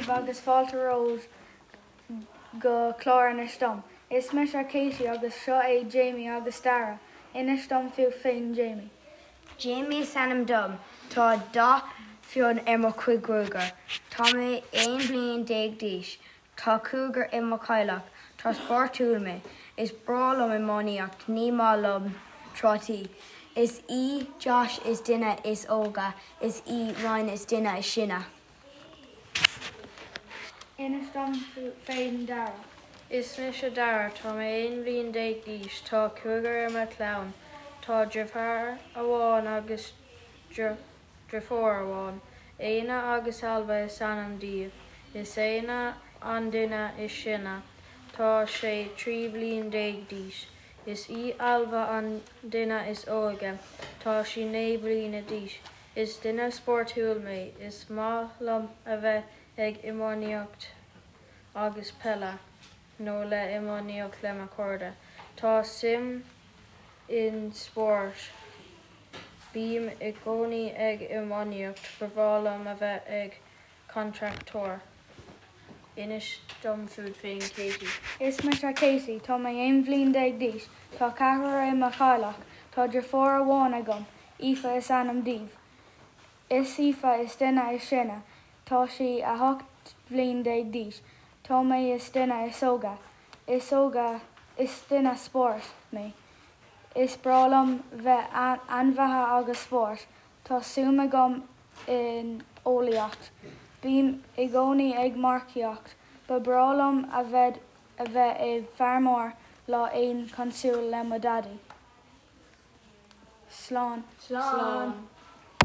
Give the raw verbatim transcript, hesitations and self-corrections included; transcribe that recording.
daoibh agus fáilte romhaibh go clár Inis Dom. Is mise Katie agus seo é Jamie agus Dara. Inis dom fút féin Jamie. Jamie is ainm dom Tá dath fionn ar mo chuid gruaige. Tá mé aon bhliain déag d'aois, Tá cúigear i mo theaghlach, Tá spórtúil mé, Is breá liom iománaíocht ní maith liom trátaí. Is í Josh is duine is óige, is í Ryan is duine is sine. Inis dom féin Dara. Is mise Dara tá mé aon bhliain déag d'aois tá cúigear i mo chlann, Tá deartháir amháin agus deirfiúr amháin, Éanna agus Ailbhe is ainm dóibh, Is Éanna an duine is sine, Tá sé trí bliana déag d'aois. Is í Ailbhe an duine is óige, Tá sí naoi bliana d'aois. Is duine spórtúil mé, is maith liom a bheith ag iománaíocht agus peile nó le iománaíocht le mo chairde. Tá suim in spórt. Bím i gcónaí ag iománaíocht ba bhreá liom a bheith ag contractor. Inis dom fút féin Katie. Is mise Katie, Tá mé aon bhliain déag d'aois, Tá ceathrar i mo theaghlach, Tá deirfiúr amháin agam, Aoife is ainm di. Is Aoife is duine is sine, Tá sí a hocht bhliain déag d'aois, Tá mé is duine is óige, Is óga is duine spóirt mé. Is breá liom bheith ainmhithe agus spórt, Tá suim agam in eolaíocht. Bím i gcónaí ag marcaíocht, Ba bhreá liom a bheith a bheith i bhfeirmeoir lá éigin cosúil le mo dhaidí. Slán. Slán.